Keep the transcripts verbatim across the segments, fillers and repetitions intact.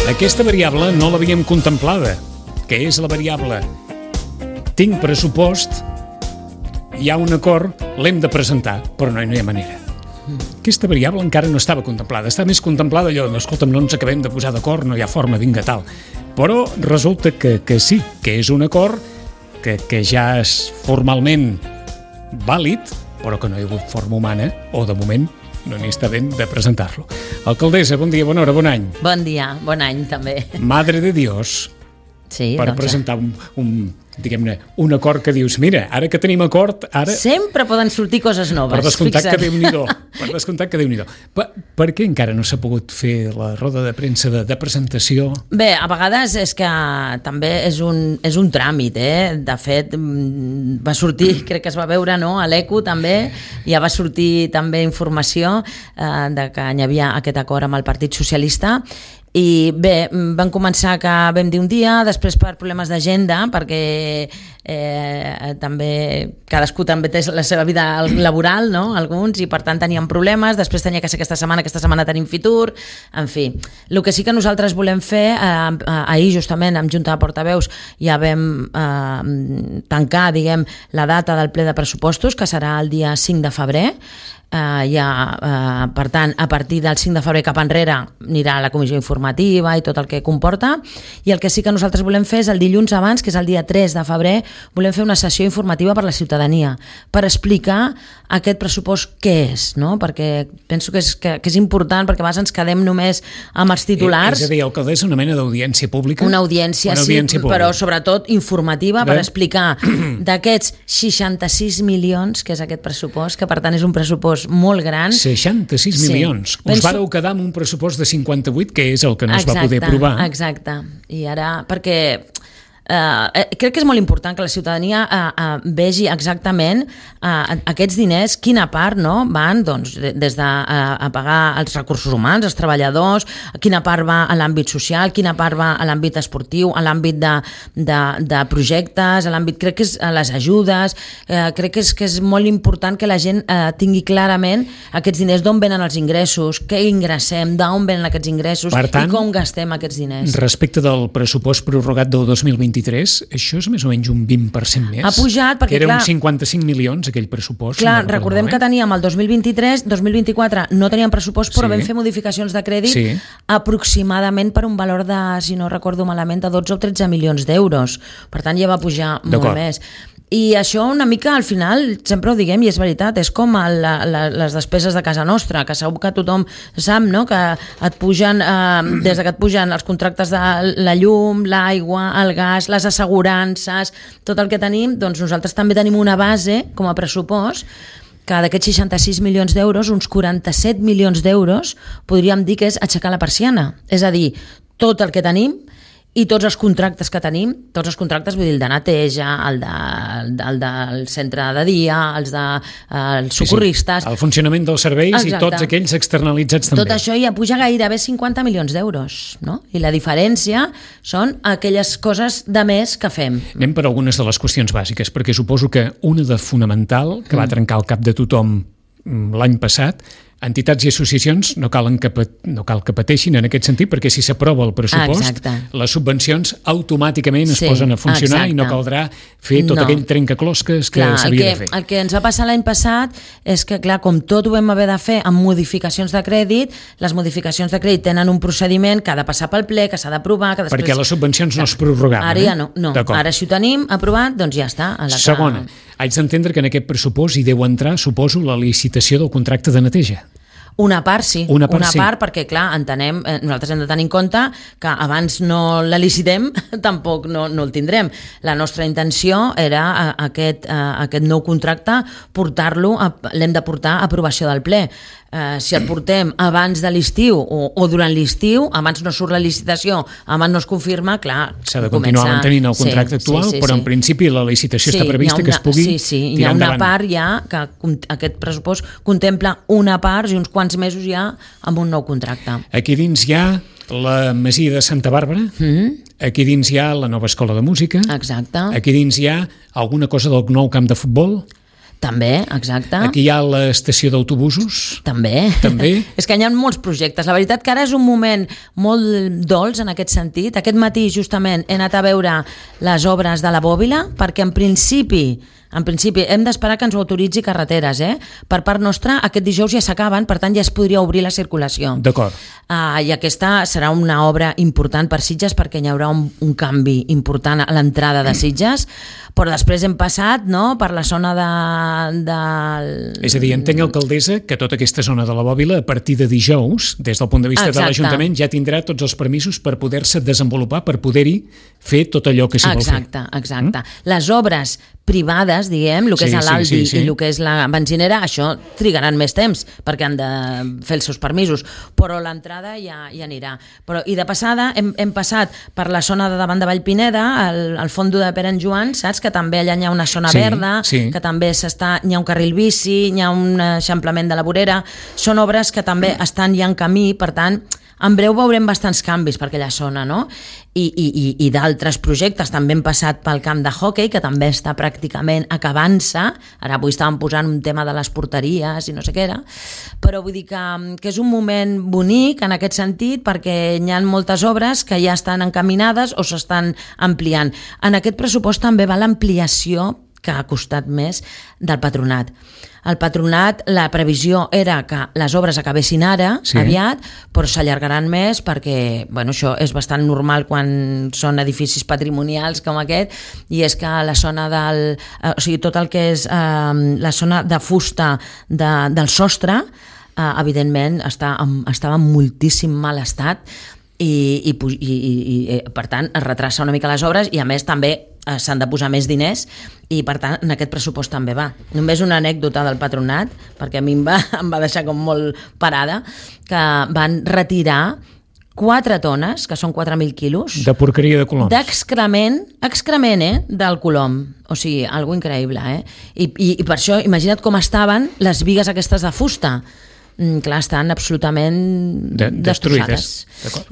Aquesta variable no l'havíem contemplada. Què és la variable? Tinc pressupost, hi ha un acord, l'hem de presentar, però no, no hi ha manera. Aquesta variable encara no estava contemplada. Està més contemplada allò, no, escolta'm, no ens acabem de posar d'acord, no hi ha forma, vinga, tal. Però resulta que, que sí, que és un acord que, que ja és formalment vàlid, però que no hi ha hagut forma humana, o de moment no n'hi està ben de presentar-lo. Alcaldessa, bon dia, bona hora, bon any. Bon dia, bon any també. Madre de Dios, sí, per doncs, presentar un, un, diguem-ne, un acord que dius, mira, ara que tenim acord, ara... Sempre poden sortir coses noves. Per descomptat fixa't. que Déu-n'hi-do. Per descomptat que Déu-n'hi-do. Per, per què encara no s'ha pogut fer la roda de premsa de, de presentació? Bé, a vegades és que també és un, és un tràmit, eh? De fet, va sortir, crec que es va veure, no?, a l'Eco també, ja va sortir també informació eh, de que hi havia aquest acord amb el Partit Socialista. I bé, van començar que vam dir un dia, després per problemes d'agenda, perquè eh, també cadascú també té la seva vida laboral, no?, alguns, i per tant teníem problemes, després tenia que ser aquesta setmana, aquesta setmana tenim Fitur, en fi. El que sí que nosaltres volem fer, eh, ahir justament amb Junta de Portaveus ja vam eh, tancar, diguem, la data del ple de pressupostos, que serà el dia cinc de febrer, Uh, ja, uh, per tant, a partir del cinc de febrer cap enrere anirà a la comissió informativa i tot el que comporta, i el que sí que nosaltres volem fer és el dilluns abans, que és el dia tres de febrer, volem fer una sessió informativa per la ciutadania, per explicar aquest pressupost què és, no? Perquè penso que és, que, que és important, perquè a vegades ens quedem només amb els titulars. Eh, és a dir, alcaldessa, una mena d'audiència pública? Una audiència, una audiència sí, pública. Però sobretot informativa, Bé. per explicar d'aquests seixanta-sis milions, que és aquest pressupost, que per tant és un pressupost molt gran. seixanta-sis milions. Sí. Us Penso... vareu quedar amb un pressupost de cinquanta-vuit, que és el que no exacte, es va poder aprovar. Exacte, i ara, perquè Uh, crec que és molt important que la ciutadania uh, uh, vegi exactament uh, aquests diners, quina part, no, van doncs, des de uh, a pagar els recursos humans, els treballadors, quina part va a l'àmbit social, quina part va a l'àmbit esportiu, a l'àmbit de, de, de projectes, a l'àmbit, crec que és a les ajudes, uh, crec que és, que és molt important que la gent uh, tingui clarament aquests diners, d'on venen els ingressos, què ingressem, d'on venen aquests ingressos tant, i com gastem aquests diners. Respecte del pressupost prorrogat del dos mil vint-i-tres, això és més o menys un vint per cent més. Ha pujat perquè, era clar... uns cinquanta-cinc milions, aquell pressupost. Clar, no recordem que teníem el dos mil vint-i-tres, dos mil vint-i-quatre no teníem pressupost, però sí. vam fer modificacions de crèdit sí. aproximadament per un valor de, si no recordo malament, de dotze o tretze milions d'euros. Per tant, ja va pujar molt més. I això una mica al final, sempre ho diguem i és veritat, és com el, la, les despeses de casa nostra, que segur que tothom sap, no?, que et pugen, eh, des que et pugen els contractes de la llum, l'aigua, el gas, les assegurances, tot el que tenim, doncs nosaltres també tenim una base com a pressupost que d'aquests seixanta-sis milions d'euros, uns quaranta-set milions d'euros, podríem dir que és aixecar la persiana. És a dir, tot el que tenim i tots els contractes que tenim, tots els contractes, vull dir, el de neteja, el, de, el del centre de dia, els de eh, els socorristes... Sí, sí. El funcionament dels serveis Exacte. I tots aquells externalitzats també. Tot això ja puja gairebé cinquanta milions d'euros, no? I la diferència són aquelles coses de més que fem. Anem per algunes de les qüestions bàsiques, perquè suposo que una de fonamental, que va trencar el cap de tothom l'any passat, entitats i associacions no, calen que, no cal que pateixin en aquest sentit, perquè si s'aprova el pressupost, exacte. Les subvencions automàticament sí, es posen a funcionar exacte. I no caldrà fer tot no. aquell trencaclosques que clar, s'havia de fer. El que ens va passar l'any passat és que, clar, com tot ho vam haver de fer amb modificacions de crèdit, les modificacions de crèdit tenen un procediment que ha de passar pel ple, que s'ha d'aprovar... Que després... Perquè les subvencions no es prorrogaven. Ara ja no. no. Ara si ho tenim aprovat, doncs ja està. A la Segona, que... haig d'entendre que en aquest pressupost hi deu entrar, suposo, la licitació del contracte de neteja. Una part sí, una part, una sí. part perquè clar, entenem, eh, nosaltres hem de tenir en compte que abans no la licitem, tampoc no, no el tindrem. La nostra intenció era a, a aquest, a, a aquest nou contracte portar-lo, l'hem de portar a aprovació del ple. Eh, si el portem abans de l'estiu o, o durant l'estiu, abans no surt la licitació, abans no es confirma, clar, s'ha de continuar comença... mantenint el contracte sí, actual, sí, sí, però sí. en principi la licitació sí, està prevista una, que es pugui sí, sí, tirar endavant. Hi ha una part ja que aquest pressupost contempla una part i uns quants mesos ja amb un nou contracte. Aquí dins hi ha la Masia de Santa Bàrbara, mm-hmm. aquí dins hi ha la nova escola de música, exacte. Aquí dins hi ha alguna cosa del nou camp de futbol. També, exacte. Aquí hi ha l'estació d'autobusos. També. També. És que hi ha molts projectes. La veritat que ara és un moment molt dolç en aquest sentit. Aquest matí, justament, he anat a veure les obres de la Bòbila, perquè en principi En principi, hem d'esperar que ens ho autoritzi Carreteres, eh? Per part nostra, aquest dijous ja s'acaben, per tant ja es podria obrir la circulació. D'acord. Uh, I aquesta serà una obra important per Sitges, perquè hi haurà un, un canvi important a l'entrada de Sitges, però després hem passat, no?, per la zona de... de... És a dir, entenc, alcaldessa, que tota aquesta zona de la Bòbila, a partir de dijous, des del punt de vista Exacte. de l'Ajuntament, ja tindrà tots els permisos per poder-se desenvolupar, per poder-hi fer tot allò que s'hi vol fer. Exacte, exacte. Mm? Les obres privades, diguem, el que sí, és l'Aldi sí, sí, sí. i el que és la benzinera, això trigaran més temps perquè han de fer els seus permisos, però l'entrada ja, ja anirà. Però, I de passada hem, hem passat per la zona de davant de Vallpineda, al, al fondo de Pere en Joan, saps? Que també allà hi ha una zona sí, verda, sí. que també s'està, hi ha un carril bici, hi ha un eixamplament de la vorera, són obres que també estan ja en camí, per tant, en breu veurem bastants canvis per aquella zona, no? I, i, i, i d'altres projectes. També hem passat pel camp de hoquei, que també està pràcticament acabant-se. Ara avui estàvem posant un tema de les porteries i no sé què era. Però vull dir que, que és un moment bonic en aquest sentit, perquè hi ha moltes obres que ja estan encaminades o s'estan ampliant. En aquest pressupost també va l'ampliació, que ha costat més, del Patronat. El Patronat, la previsió era que les obres acabessin ara, sí. aviat, però s'allargaran més perquè, bueno, això és bastant normal quan són edificis patrimonials com aquest, i és que la zona del... O sigui, tot el que és eh, la zona de fusta de, del sostre, eh, evidentment, està en, estava en moltíssim mal estat, i, i, i, i, i per tant es retrasa una mica les obres, i a més també eh, s'han de posar més diners, i per tant en aquest pressupost també va. Només una anècdota del Patronat, perquè a mi em va, em va deixar com molt parada, que van retirar quatre tones, que són quatre mil quilos de porqueria de coloms, d'excrement, excrement, eh, del colom. O sigui, algo increïble, eh? I, i, i per això, imagina't com estaven les bigues aquestes de fusta. Mm, clar, estan absolutament de, destrossades.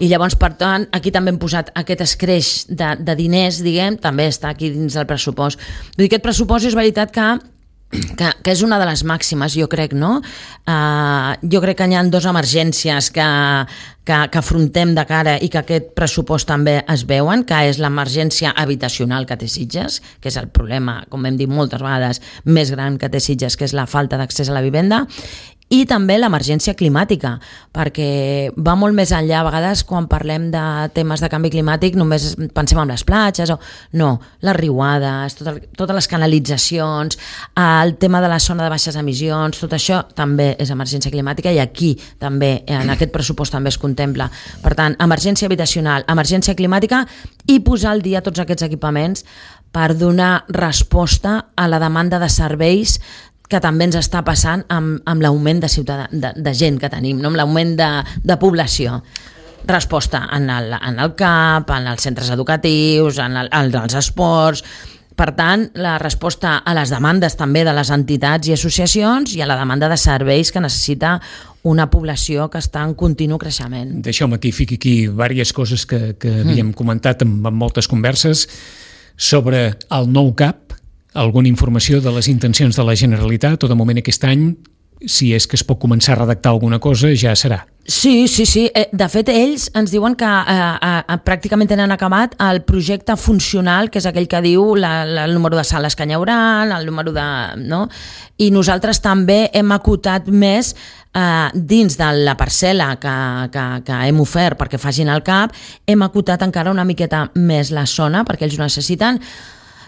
I llavors, per tant, aquí també hem posat aquest escreix de, de diners, diguem, també està aquí dins del pressupost. Vull dir, aquest pressupost és veritat que Que, que és una de les màximes, jo crec, no? Uh, jo crec que hi ha dues emergències que, que, que afrontem de cara i que aquest pressupost també es veuen, que és l'emergència habitacional que té Sitges, que és el problema, com hem dit moltes vegades, més gran que té Sitges, que és la falta d'accés a la vivenda, i també l'emergència climàtica, perquè va molt més enllà. A vegades, quan parlem de temes de canvi climàtic, només pensem en les platges, o no, les riuades, tot, totes les canalitzacions, el tema de la zona de baixes emissions, tot això també és emergència climàtica, i aquí també, en aquest pressupost també es contempla. Per tant, emergència habitacional, emergència climàtica, i posar al dia tots aquests equipaments per donar resposta a la demanda de serveis que també ens està passant amb, amb l'augment de, ciutadà, de, de gent que tenim, no? Amb l'augment de, de població. Resposta en el, en el C A P, en els centres educatius, en, el, en els esports. Per tant, la resposta a les demandes també de les entitats i associacions, i a la demanda de serveis que necessita una població que està en continu creixement. Deixeu-me aquí, fiqui aquí diverses coses que, que havíem mm. comentat en, en moltes converses sobre el nou C A P. Alguna informació de les intencions de la Generalitat, o de moment aquest any, si és que es pot començar a redactar alguna cosa, ja serà. Sí, sí, sí. De fet, ells ens diuen que eh, eh, pràcticament tenen acabat el projecte funcional, que és aquell que diu la, la, el número de sales que hi haurà, el número de... No? I nosaltres també hem acotat més eh, dins de la parcel·la que, que, que hem ofert perquè facin el C A P, hem acotat encara una miqueta més la zona, perquè ells ho necessiten,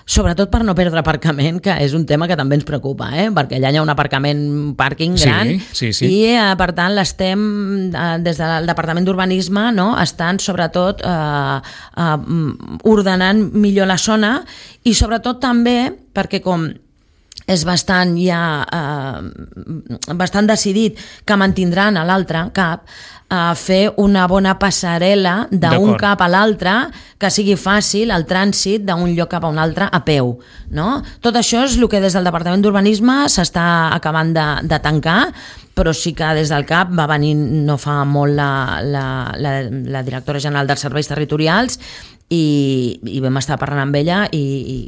sobretot per no perdre aparcament, que és un tema que també ens preocupa, eh? Perquè allà hi ha un aparcament, un pàrquing gran, sí, sí, sí. i eh, per tant l'estem, eh, des del Departament d'Urbanisme, no? Estan sobretot eh, eh, ordenant millor la zona, i sobretot també perquè com és bastant ja eh, bastant decidit que mantindran a l'altre C A P, a fer una bona passarel·la d'un cap a l'altre, que sigui fàcil el trànsit d'un lloc cap a un altre a peu, no? Tot això és el que des del Departament d'Urbanisme s'està acabant de, de tancar, però sí que des del C A P va venir no fa molt la, la, la, la directora general dels serveis territorials i, i vam estar parlant amb ella i, i,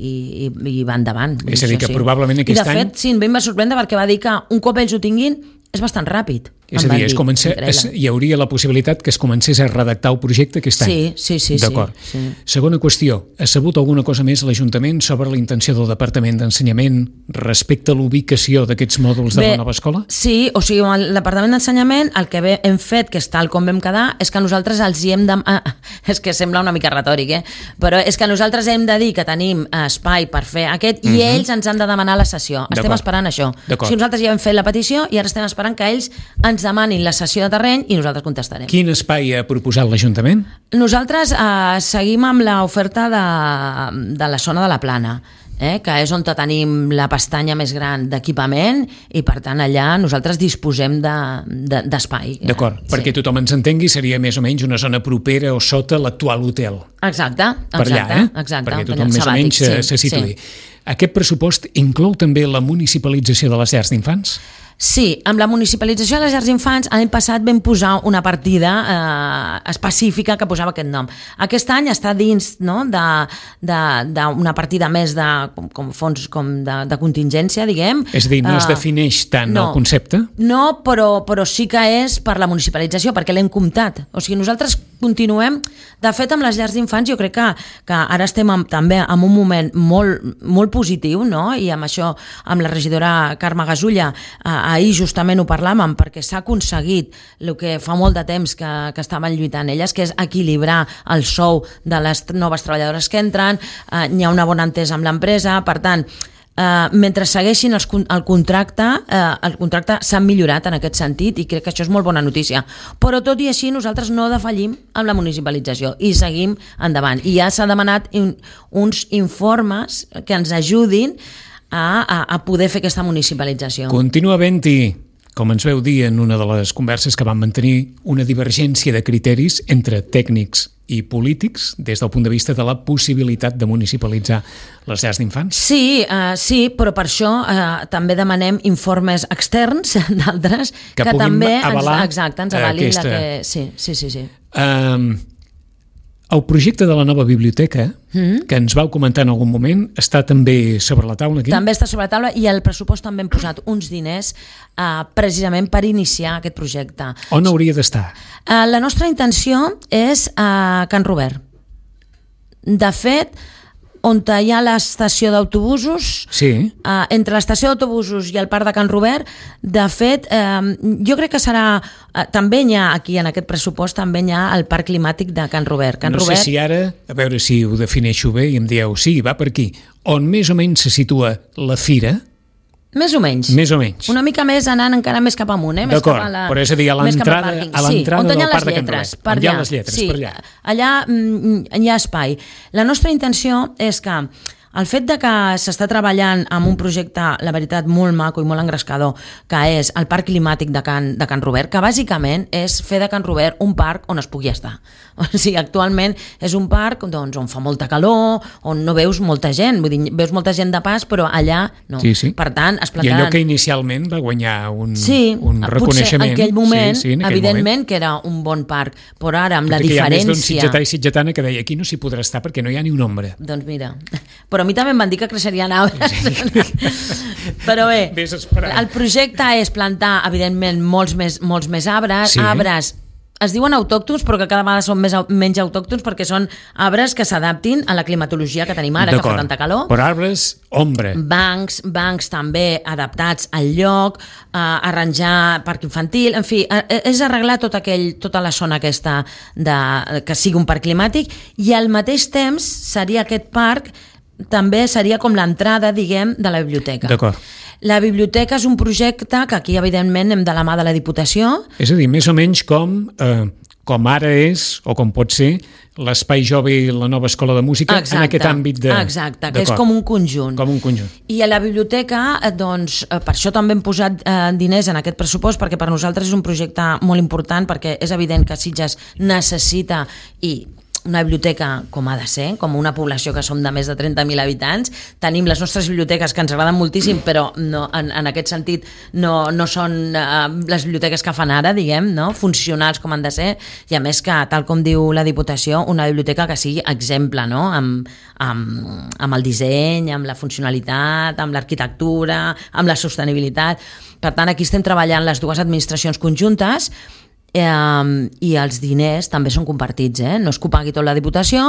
i, i va endavant. És a dir, que sí. probablement aquest any... I de fet, any... sí, em va sorprendre perquè va dir que un cop ells ho tinguin és bastant ràpid. És a dir, es comença, es, hi hauria la possibilitat que es comencés a redactar el projecte aquest any. Sí, sí, sí. D'acord. Sí, sí. Segona qüestió, ha sabut alguna cosa més l'Ajuntament sobre la intenció del Departament d'Ensenyament respecte a l'ubicació d'aquests mòduls de Bé, la nova escola? Sí, o sigui, el Departament d'Ensenyament el que hem fet, que és tal com vam quedar, és que nosaltres els hi hem de... Ah, és que sembla una mica retòric, eh? Però és que nosaltres hem de dir que tenim espai per fer aquest i uh-huh. ells ens han de demanar la sessió. Estem esperant això. O sigui, nosaltres ja hem fet la petició i ara estem esperant que ells ens demanin la sessió de terreny i nosaltres contestarem. Quin espai ha proposat l'Ajuntament? Nosaltres eh, seguim amb l'oferta de, de la zona de la Plana, eh, que és on tenim la pestanya més gran d'equipament i per tant allà nosaltres disposem d'espai. De, D'acord, sí. perquè tothom ens entengui, seria més o menys una zona propera o sota l'actual hotel. Exacte, exacte. Per allà, eh? Exacte, perquè tothom més o menys sí, se situï. Sí. Aquest pressupost inclou també la municipalització de les llars d'infants? Sí, amb la municipalització de les llars d'infants l'any passat vam posar una partida eh, específica que posava aquest nom. Aquest any està dins no, d'una partida més de com, com fons com de, de contingència, diguem. És a dir, no uh, es defineix tant no, el concepte? No, però, però sí que és per la municipalització, perquè l'hem comptat. O sigui, nosaltres continuem... De fet, amb les llars d'infants jo crec que, que ara estem amb, també en un moment molt, molt positiu, no? I amb això, amb la regidora Carme Gasulla, eh, ahir justament ho parlàvem, perquè s'ha aconseguit el que fa molt de temps que, que estaven lluitant elles, que és equilibrar el sou de les noves treballadores que entren, eh, hi ha una bona entesa amb l'empresa, per tant, Uh, mentre segueixin els, el contracte uh, el contracte s'ha millorat en aquest sentit i crec que això és molt bona notícia, però tot i així nosaltres no defallim amb la municipalització i seguim endavant i ja s'ha demanat un, uns informes que ens ajudin a, a, a poder fer aquesta municipalització. Continua havent-hi, com ens veu dir en una de les converses que vam mantenir, una divergència de criteris entre tècnics i polítics des del punt de vista de la possibilitat de municipalitzar les llars d'infants? Sí, uh, sí, però per això uh, també demanem informes externs d'altres que, que també avalar ens, exacte, ens avalin aquesta... la que... Sí, sí, sí. sí. Um, el projecte de la nova biblioteca, mm-hmm. que ens vau comentar en algun moment, està també sobre la taula aquí? També està sobre la taula i al pressupost també hem posat uns diners uh, precisament per iniciar aquest projecte. On hauria d'estar? Uh, la nostra intenció és a uh, Can Robert. De fet, on hi ha l'estació d'autobusos, sí. uh, entre l'estació d'autobusos i el parc de Can Robert, de fet, uh, jo crec que serà... Uh, també hi ha, aquí en aquest pressupost, també hi ha el parc climàtic de Can Robert. Can no Robert... sé si ara, a veure si ho defineixo bé i em dieu, sí, va per aquí, on més o menys se situa la fira... Més o menys. Més o menys. Una mica més anant encara més cap amunt, eh? D'acord, però és a dir, a l'entrada a l'entrada sí, del parc de Can Robert. Per on hi ha les lletres, sí, per allà. Allà mm, hi ha espai. La nostra intenció és que el fet de que s'està treballant amb un projecte, la veritat, molt maco i molt engrescador, que és el Parc Climàtic de Can, de Can Robert, que bàsicament és fer de Can Robert un parc on es pugui estar. O sigui, actualment és un parc doncs, on fa molta calor, on no veus molta gent, vull dir, veus molta gent de pas, però allà no. Sí, sí. Per tant, es plantaran... I allò que inicialment va guanyar un, sí, un reconeixement... Sí, en aquell moment, sí, sí, en aquell evidentment, moment. que era un bon parc, però ara amb la Perquè diferència... hi ha més d'un sitgetà i sitgetana que deia aquí no s'hi podrà estar perquè no hi ha ni un ombra. Doncs mira, però a mi també em van dir que creixerien arbres. Sí. Però bé, el projecte és plantar, evidentment, molts més, molts més arbres, sí. arbres es diuen autòctons, però que cada vegada són més, menys autòctons perquè són arbres que s'adaptin a la climatologia que tenim ara, que fa tanta calor. Però arbres, ombra. Bancs, bancs també adaptats al lloc, eh, arranjar parc infantil, en fi, eh, és arreglar tot aquell, tota la zona aquesta de, que sigui un parc climàtic i al mateix temps seria aquest parc també seria com l'entrada, diguem, de la biblioteca. D'acord. La biblioteca és un projecte que aquí, evidentment, hem de la mà de la Diputació. És a dir, més o menys com, eh, com ara és, o com pot ser, l'Espai Jove i la nova escola de música, exacte, en aquest àmbit de... Exacte, que és com un conjunt. Com un conjunt. I a la biblioteca, doncs, per això també hem posat eh, diners en aquest pressupost, perquè per nosaltres és un projecte molt important, perquè és evident que Sitges necessita i una biblioteca com ha de ser, com una població que som de més de trenta mil habitants, tenim les nostres biblioteques que ens agraden moltíssim, però no, en, en aquest sentit no, no són uh, les biblioteques que fan ara, diguem, no? Funcionals com han de ser, i a més que, tal com diu la Diputació, una biblioteca que sigui exemple, no? amb, amb, amb el disseny, amb la funcionalitat, amb l'arquitectura, amb la sostenibilitat. Per tant, aquí estem treballant les dues administracions conjuntes, Eh, i els diners també són compartits, eh? No és que ho pagui tot la Diputació,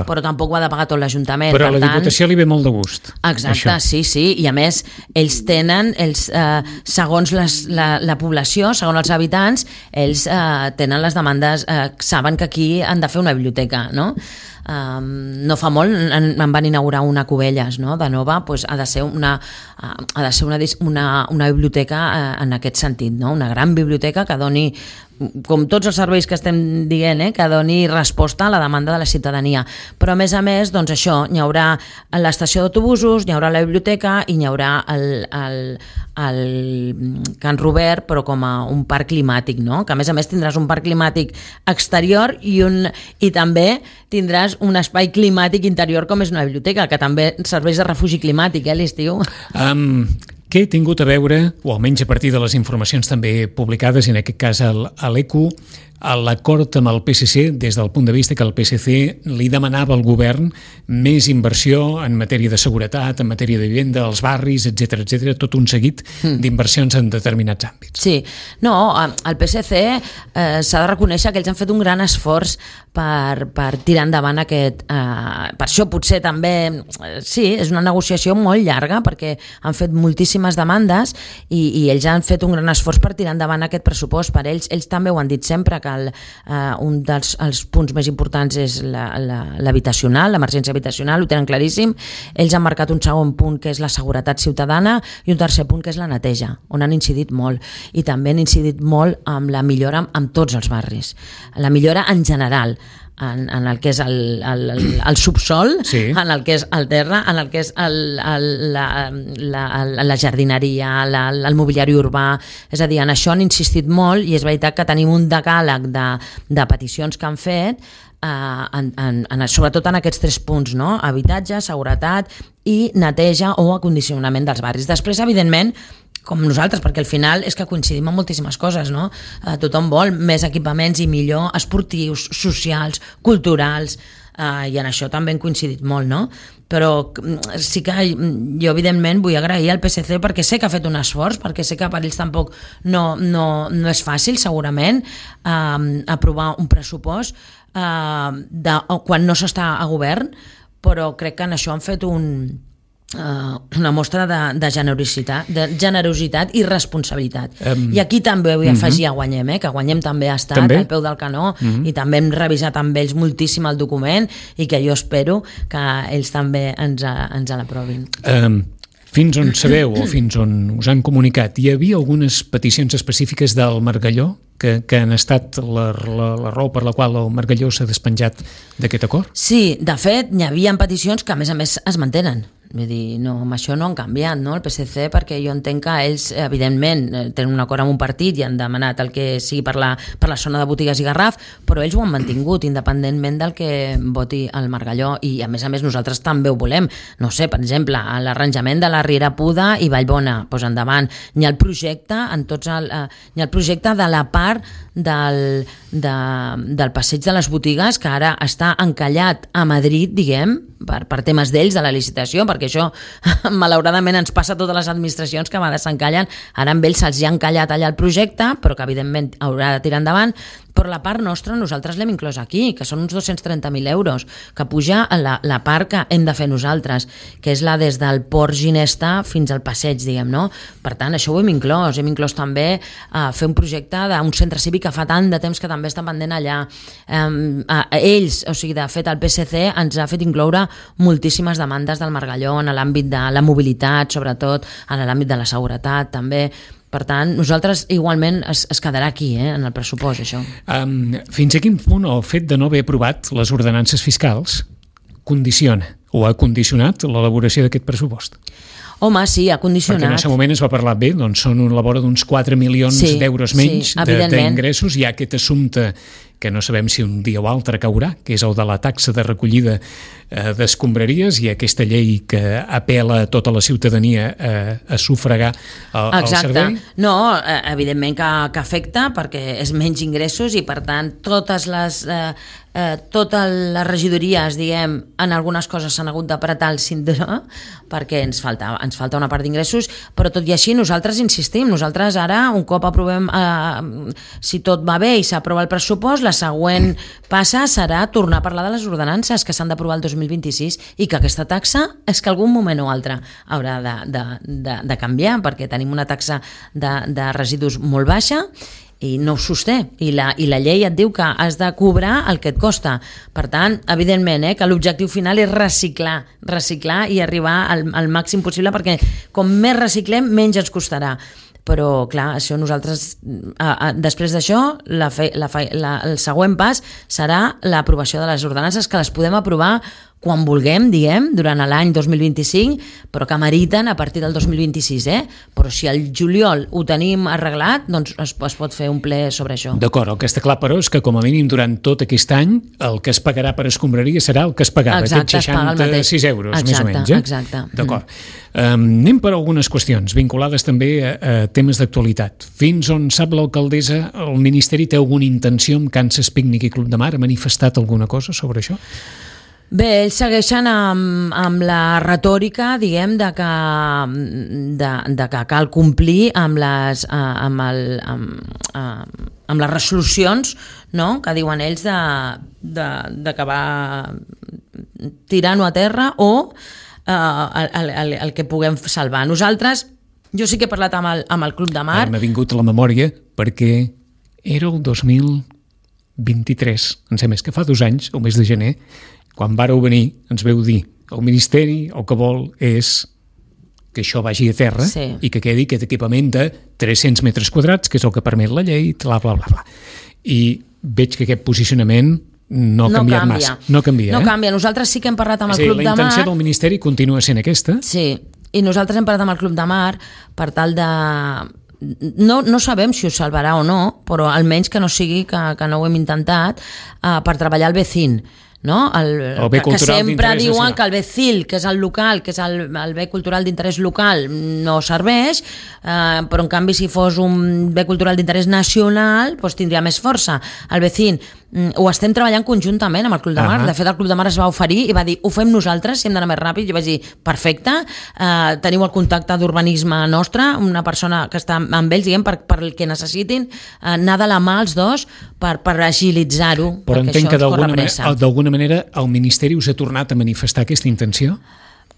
però tampoc ho ha de pagar tot l'Ajuntament. Però a la Diputació li ve molt de gust. Exacte, això. sí, sí, i a més ells tenen, ells, eh, segons les, la, la població, segons els habitants, ells eh, tenen les demandes, eh, saben que aquí han de fer una biblioteca, no? Um, no fa molt en, en van inaugurar una a Cubelles, no? De nova, pues, ha de ser una, uh, ha de ser una, una, una biblioteca uh, en aquest sentit, no? Una gran biblioteca que doni, com tots els serveis que estem dient, eh? Que doni resposta a la demanda de la ciutadania. Però a més a més, doncs això, hi haurà l'estació d'autobusos, hi haurà la biblioteca i hi haurà el, el, el Can Robert, però com a un parc climàtic, no? Que a més a més tindràs un parc climàtic exterior i, un, i també tindràs un espai climàtic interior com és una biblioteca, que també serveix de refugi climàtic, eh, l'estiu. Um, què he tingut a veure, o almenys a partir de les informacions també publicades, en aquest cas a l'E Q U, a l'acord amb el P S C, des del punt de vista que el P S C li demanava al govern més inversió en matèria de seguretat, en matèria de vivenda, als barris, etcètera, etcètera, tot un seguit mm. d'inversions en determinats àmbits. Sí, no, el P S C eh, s'ha de reconèixer que ells han fet un gran esforç per, per tirar endavant aquest... Eh, per això potser també, eh, sí, és una negociació molt llarga, perquè han fet moltíssimes demandes i, i ells han fet un gran esforç per tirar endavant aquest pressupost. Per ells, ells també ho han dit sempre, que el, uh, un dels els punts més importants és l'habitacional, la, l'emergència habitacional, ho tenen claríssim. Ells han marcat un segon punt que és la seguretat ciutadana i un tercer punt que és la neteja, on han incidit molt, i també han incidit molt amb la millora amb tots els barris, la millora en general, en, en el que és el, el, el, el subsol, sí. En el que és el terra, en el que és el, el, la, la, la jardineria, la, el mobiliari urbà. És a dir, en això han insistit molt, i és veritat que tenim un decàleg de, de peticions que han fet, Uh, en, en, en, sobretot en aquests tres punts, no? Habitatge, seguretat i neteja o acondicionament dels barris. Després, evidentment, com nosaltres, perquè al final és que coincidim en moltíssimes coses, no? Uh, tothom vol més equipaments i millor esportius, socials, culturals, uh, i en això també hem coincidit molt, no? Però sí que jo evidentment vull agrair al P S C perquè sé que ha fet un esforç, perquè sé que per ells tampoc no, no, no és fàcil segurament uh, aprovar un pressupost uh, de, quan no s'està a govern, però crec que en això han fet un, uh, una mostra de, de, generositat, de generositat i responsabilitat. Um, I aquí també vull afegir uh-huh. a Guanyem, eh, que Guanyem també ha estat també? al peu del canó uh-huh. i també hem revisat amb ells moltíssim el document i que jo espero que ells també ens, ens l'aprovin. Um, fins on sabeu o fins on us han comunicat, hi havia algunes peticions específiques del Margalló que, que han estat la, la, la raó per la qual el Margalló s'ha despenjat d'aquest acord? Sí, de fet, hi havia peticions que a més a més es mantenen. Vull dir, no, amb això no han canviat, no, el P S C, perquè jo entenc que ells, evidentment, tenen un acord amb un partit i han demanat el que sigui per la, per la zona de Botigues i Garraf, però ells ho han mantingut, independentment del que voti el Margalló, i a més a més nosaltres també ho volem. No sé, per exemple, l'arranjament de la Riera Puda i Vallbona, doncs endavant. Hi ha el projecte, en tots el, eh, hi ha el projecte de la part del, de, del passeig de les botigues, que ara està encallat a Madrid, diguem, per, per temes d'ells, de la licitació, perquè això malauradament ens passa a totes les administracions que a vegades s'encallen. Ara amb ells se'ls ha encallat allà el projecte, però que evidentment haurà de tirar endavant. Però la part nostra nosaltres l'hem inclòs aquí, que són uns dos-cents trenta mil euros, que puja a la, la part que hem de fer nosaltres, que és la des del Port Ginesta fins al passeig, diguem, no? Per tant, això ho hem inclòs. Hem inclòs també uh, fer un projecte d'un centre cívic que fa tant de temps que també està pendent allà. Um, uh, ells, o sigui, de fet, el P S C ens ha fet incloure moltíssimes demandes del Margalló en l'àmbit de la mobilitat, sobretot en l'àmbit de la seguretat, també. Per tant, nosaltres igualment es, es quedarà aquí, eh, en el pressupost, això. Um, fins a quin punt el fet de no haver aprovat les ordenances fiscals condiciona o ha condicionat l'elaboració d'aquest pressupost? Home, sí, ha condicionat. Perquè en aquest moment es va parlar bé, doncs són a la vora d'uns quatre milions sí, d'euros menys sí, d'ingressos. Hi ha aquest assumpte que no sabem si un dia o altre caurà, que és el de la taxa de recollida eh, d'escombraries, i aquesta llei que apela a tota la ciutadania eh, a sufragar el, el servei. No, evidentment que, que afecta, perquè és menys ingressos i, per tant, totes les... Eh, Eh, totes les regidories, diguem, en algunes coses s'han hagut d'apretar el cinturó perquè ens falta, ens falta una part d'ingressos, però tot i així nosaltres insistim, nosaltres ara un cop aprovem, eh, si tot va bé i s'aprova el pressupost, la següent passa serà tornar a parlar de les ordenances que s'han d'aprovar el dos mil vint-i-sis i que aquesta taxa és que algun moment o altre haurà de, de, de, de canviar, perquè tenim una taxa de, de residus molt baixa i no ho sosté, i la, i la llei et diu que has de cobrar el que et costa. Per tant, evidentment, eh, que l'objectiu final és reciclar, reciclar i arribar al, al màxim possible, perquè com més reciclem, menys ens costarà. Però, clar, això nosaltres, a, a, després d'això, la fe, la fe, la, el següent pas serà l'aprovació de les ordenances, que les podem aprovar quan vulguem, diguem, durant l'any dos mil vint-i-cinc, però que meriten a partir del dos mil vint-i-sis, eh? Però si al juliol ho tenim arreglat, doncs es, es pot fer un ple sobre això. D'acord, el que està clar, però, és que com a mínim durant tot aquest any el que es pagarà per escombraria serà el que es pagava, exacte, aquests seixanta-sis euros, exacte, més o menys. Eh? Exacte. D'acord. Mm. Um, anem per algunes qüestions vinculades també a, a temes d'actualitat. Fins on sap l'alcaldessa, el Ministeri té alguna intenció amb Kansas Picnic i Club de Mar? Ha manifestat alguna cosa sobre això? Bé, ells segueixen amb, amb la retòrica, diguem, de que, de, de que cal complir amb les, amb el, amb, amb les resolucions, no?, que diuen ells de, de, de que va tirant-ho a terra o eh, el, el, el que puguem salvar. Nosaltres, jo sí que he parlat amb el, amb el Club de Mar. M'ha vingut a la memòria perquè era el dos mil vint-i-tres, em sembla que fa dos anys, el mes de gener, quan vàreu venir, ens veu dir el Ministeri el que vol és que això vagi a terra, sí, i que quedi aquest equipament de tres-cents metres quadrats, que és el que permet la llei, bla, bla, bla, bla. I veig que aquest posicionament no ha no canviat canvia. massa. No canvia, no eh? canvia. Nosaltres sí que hem parlat amb el sí, Club de Mar. La intenció del Ministeri continua sent aquesta. Sí, i nosaltres hem parlat amb el Club de Mar per tal de... No, no sabem si ho salvarà o no, però almenys que no sigui que, que no ho hem intentat, uh, per treballar el vecín. No? El, el bé que, que sempre diuen nacional. Que el becil, que és el local, que és el, el bé cultural d'interès local, no serveix, eh, però en canvi si fos un bé cultural d'interès nacional doncs tindria més força. El vecín ho estem treballant conjuntament amb el Club de Mar. Uh -huh. De fet, el Club de Mar es va oferir i va dir, ho fem nosaltres, si hem d'anar més ràpid. Jo vaig dir, perfecte, eh, teniu el contacte d'urbanisme nostre, una persona que està amb ells, diguem, per, per el que necessitin, eh, anar de la mà els dos per, per agilitzar-ho. Però entenc que d'alguna manera el Ministeri us ha tornat a manifestar aquesta intenció?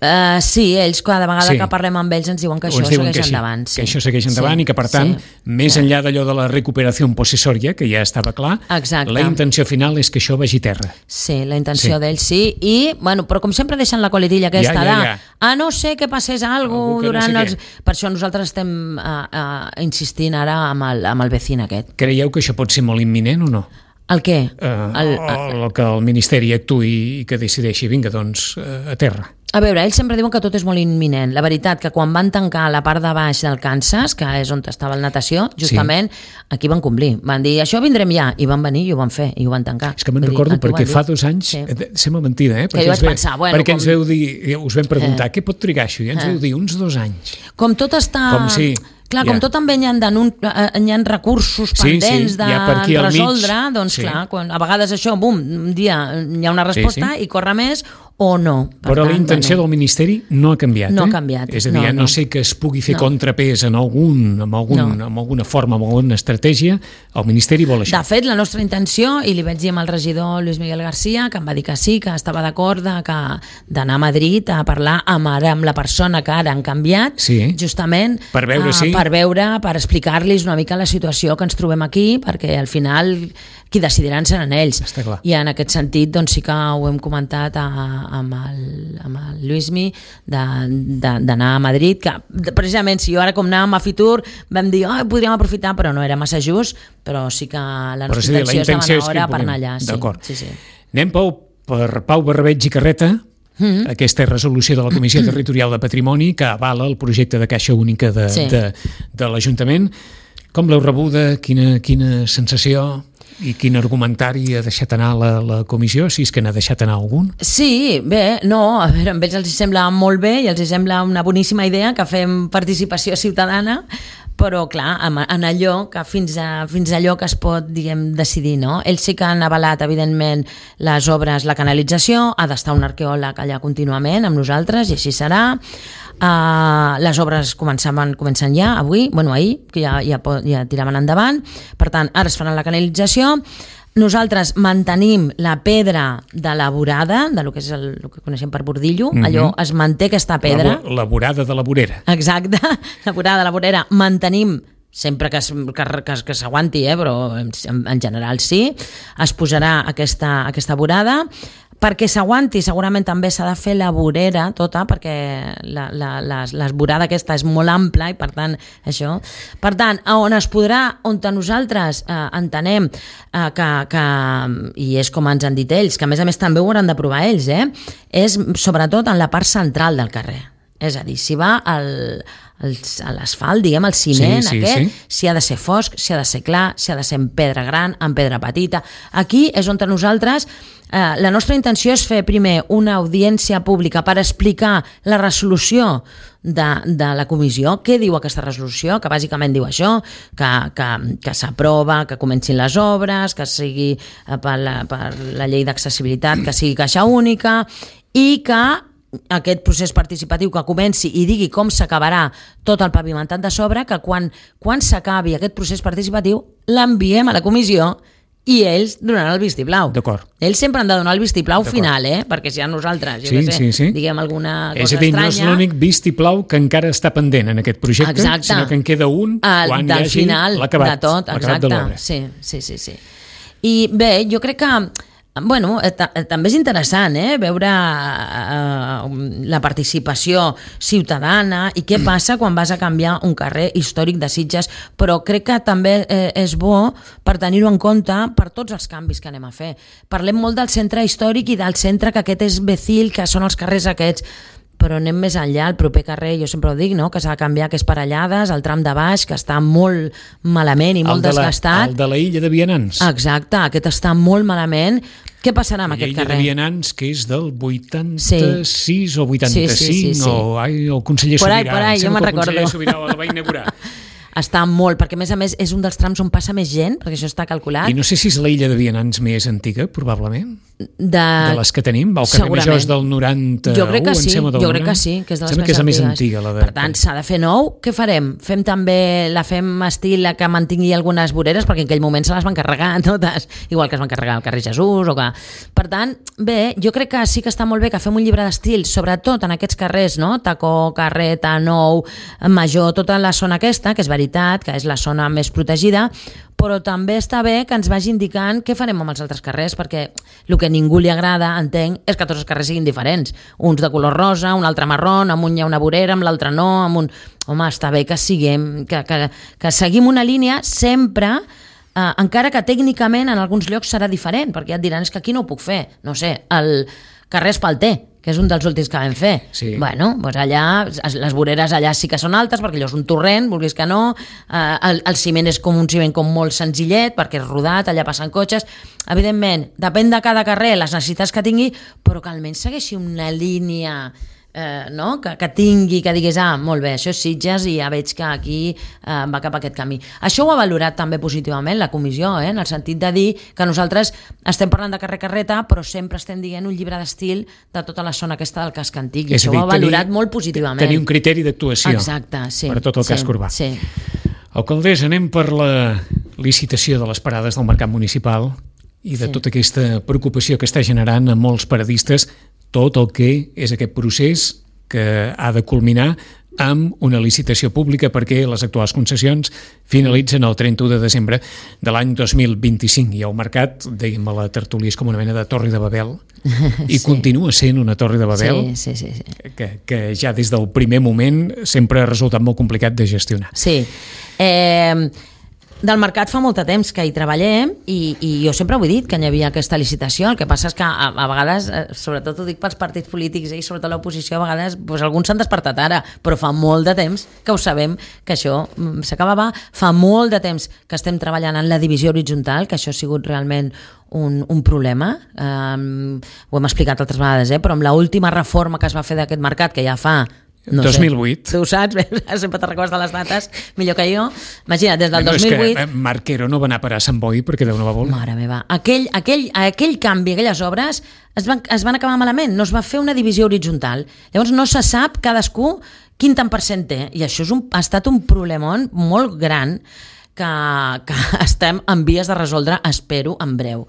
Uh, sí, ells cada vegada sí. que parlem amb ells ens diuen que això diuen segueix que sí, endavant. Sí. Que això segueix endavant sí, i que, per tant, sí. més enllà d'allò de la recuperació possessòria, que ja estava clar, exacte. La intenció final és que això vagi a terra. Sí, la intenció sí. d'ells sí, i, bueno, però com sempre deixen la coletilla aquesta ja, ja, ja. de, a no ser que passés alguna cosa durant no sé els... Per això nosaltres estem uh, uh, insistint ara amb el, amb el vecín aquest. Creieu que això pot ser molt imminent o no? El què? Uh, el, el, el que el Ministeri actuï i que decideixi, vinga, doncs, uh, a terra. A veure, ells sempre diuen que tot és molt imminent. La veritat que quan van tancar la part de baix del Kansas, que és on estava el natació, justament sí. aquí van complir. Van dir, això vindrem ja, i van venir i ho van fer, i ho van tancar. És que me'n recordo dir, perquè fa dos anys, sí. sembla mentida, eh? Perquè que jo vaig ve, pensar, bueno... Perquè com... ens veu dir, us vam preguntar, eh. què pot trigar això? I ens eh. veu dir, uns dos anys. Com tot està... Com si... Clar, com ja. tot també hi ha, hi ha recursos pendents sí, sí. de ja resoldre, doncs sí. clar, quan, a vegades això, bum, un dia hi ha una resposta sí, sí. i corre més o no. Per Però tant, la intenció bueno, del Ministeri no ha canviat. No eh? ha canviat. És a dir, no, no. no sé que es pugui fer no. contrapès en algun, amb, algun, no. amb alguna forma, amb alguna estratègia, el Ministeri vol això. De fet, la nostra intenció, i li vaig dir amb el regidor Luis Miguel García, que em va dir que sí, que estava d'acord d'anar a Madrid a parlar amb, ara, amb la persona que ara han canviat, sí. justament per veure, uh, sí. per veure, per explicar-los una mica la situació que ens trobem aquí, perquè al final qui decidiran seran ells. I en aquest sentit doncs sí que ho hem comentat a, amb, el, amb el Luismi d'anar a Madrid, que precisament si jo ara com anàvem a Fitur vam dir, oh, podríem aprofitar, però no era massa just, però sí que la nostra sí, intenció, la intenció és demanar hora per anar allà. D'acord. Sí, sí, sí. Anem, Pau, per Pau Barbeig i Carreta, mm-hmm. aquesta resolució de la Comissió Territorial de Patrimoni que avala el projecte de Caixa Única de, sí. de, de l'Ajuntament. Com l'heu rebuda? Quina, quina sensació? I quin argumentari ha deixat anar la, la comissió, si és que n'ha deixat anar algun? Sí, bé, no, a veure, amb ells els sembla molt bé i els sembla una boníssima idea que fem participació ciutadana, però clar, en allò que fins a, fins a allò que es pot, diguem, decidir, no? Ells sí que han avalat, evidentment, les obres, la canalització, ha d'estar un arqueòleg allà contínuament amb nosaltres i així serà. Uh, les obres començaven, comencen ja avui, bueno, ahir, que ja, ja, ja tiraven endavant, per tant, ara es faran la canalització. Nosaltres mantenim la pedra de la vorada, de lo que és el, el que coneixem per bordillo, mm-hmm. allò es manté aquesta pedra. La, la vorada de la vorera. Exacte, la vorada de la vorera. Mantenim, sempre que, que, que, que s'aguanti, eh, però en, en general sí, es posarà aquesta, aquesta vorada. Perquè s'aguanti, segurament també s'ha de fer la vorera tota, perquè la, la, la, la vorada aquesta és molt ampla i per tant, això. Per tant, on es podrà, on nosaltres eh, entenem eh, que, que, i és com ens han dit ells, que a més a més també ho hauran de provar ells, eh, és sobretot en la part central del carrer. És a dir, si va al, a l'asfalt, diguem, el ciment sí, sí, aquest, sí. si ha de ser fosc, si ha de ser clar, si ha de ser en pedra gran, en pedra petita. Aquí és on nosaltres, eh, la nostra intenció és fer primer una audiència pública per explicar la resolució de, de la comissió. Què diu aquesta resolució? Que bàsicament diu això, que, que, que s'aprova, que comencin les obres, que sigui per la, per la llei d'accessibilitat, que sigui caixa única i que aquest procés participatiu que comenci i digui com s'acabarà tot el pavimentat de sobre, que quan, quan s'acabi aquest procés participatiu l'enviem a la comissió i ells donaran el vistiplau. D'acord. Ells sempre han de donar el vistiplau final, eh? Perquè si a nosaltres, jo sí, què sé, sí, sí. diguem alguna cosa és a dir, estranya... no és l'únic vistiplau que encara està pendent en aquest projecte, exacte. Sinó que en queda un el, quan hi hagi l'acabat, de tot, l'acabat de l'obra. Sí, sí, sí, sí. I bé, jo crec que bueno, també és interessant eh, veure eh, la participació ciutadana i què passa quan vas a canviar un carrer històric de Sitges, però crec que també eh, és bo per tenir-ho en compte per tots els canvis que anem a fer. Parlem molt del centre històric i del centre que aquest és Becil, que són els carrers aquests, però anem més enllà, el proper carrer, jo sempre ho dic, no? Que s'ha de canviar, que és Parellades, el tram de baix, que està molt malament i molt el de la, desgastat. El de la illa de Vianants. Exacte, aquest està molt malament. Què passarà amb aquest carrer? L'illa de Vianants, que és del vuitanta-sis sí. o vuitanta-cinc, sí, sí, sí, sí. o ai, el conseller por Sobirà. Ahí, por ahí, jo me'n recordo. El conseller Sobirà la va inaugurar. Està molt, perquè a més a més és un dels trams on passa més gent, perquè això està calculat. I no sé si és la illa de Vianants més antiga, probablement, de, de les que tenim. El carrer Major és del noranta-u, jo crec que sí, em jo crec que sí, que és de les sembla més que és la antigues. més antiga. La de... Per tant, s'ha de fer nou. Què farem? Fem també, la fem estil que mantingui algunes voreres, perquè en aquell moment se les van carregar totes, igual que es van carregar al carrer Jesús, o que... Per tant, bé, jo crec que sí que està molt bé que fem un llibre d'estil, sobretot en aquests carrers, no? Tacó, Carreta, Nou, Major, tota la zona aquesta, que és veritat, que és la zona més protegida, però també està bé que ens vagi indicant què farem amb els altres carrers, perquè el que a ningú li agrada, entenc, és que tots els carrers siguin diferents. Uns de color rosa, un altre marrón, amb un hi ha una vorera, amb l'altre no, amb un... Home, està bé que siguem, que, que, que seguim una línia sempre, eh, encara que tècnicament en alguns llocs serà diferent, perquè ja et diran, és que aquí no ho puc fer. No sé, el carrer Espalter, que és un dels últims que vam fer. Sí. Bueno, doncs allà, les voreres allà sí que són altes, perquè allò és un torrent, vulguis que no, eh, el, el ciment és com un ciment com molt senzillet, perquè és rodat, allà passen cotxes. Evidentment, depèn de cada carrer, les necessitats que tingui, però que almenys segueixi una línia... Eh, no? que, que tingui, que digués, ah, molt bé, això és Sitges i ja veig que aquí eh, va cap a aquest camí. Això ho ha valorat també positivament la comissió, eh? En el sentit de dir que nosaltres estem parlant de carrer Carreta, però sempre estem dient un llibre d'estil de tota la zona aquesta del casc antic, i això dir, ho ha valorat tenir, molt positivament. Tenir un criteri d'actuació. Exacte, sí. Per a tot el sí, casc urbà. Sí. Alcaldessa, anem per la licitació de les parades del mercat municipal i de sí. tota aquesta preocupació que està generant a molts paradistes tot el que és aquest procés que ha de culminar amb una licitació pública perquè les actuals concessions finalitzen el trenta-u de desembre de l'any dos mil vint-i-cinc i el mercat, dèiem a la tertúlia, és com una mena de torre de Babel i sí. continua sent una torre de Babel sí, sí, sí, sí. Que, que ja des del primer moment sempre ha resultat molt complicat de gestionar. Sí. Eh... Del mercat fa molt de temps que hi treballem i, i jo sempre ho he dit, que hi havia aquesta licitació. El que passa és que a, a vegades, sobretot ho dic pels partits polítics eh, i sobretot l'oposició, a vegades doncs, alguns s'han despertat ara, però fa molt de temps que ho sabem, que això s'acabava. Fa molt de temps que estem treballant en la divisió horitzontal, que això ha sigut realment un, un problema. Um, ho hem explicat altres vegades, eh? Però amb l'última reforma que es va fer d'aquest mercat, que ja fa... No dos mil vuit. Sé, tu ho saps, sempre te'n recordes de les dates millor que jo. Imagina't, des del no, dos mil vuit... És que Marc Quero no va anar a parar a Sant Boi perquè Déu no va voler. Mare meva, aquell, aquell, aquell canvi, aquelles obres es van, es van acabar malament, no es va fer una divisió horitzontal. Llavors no se sap cadascú quin tant per cent té, i això és un, ha estat un problemón molt gran que, que estem en vies de resoldre, espero, en breu.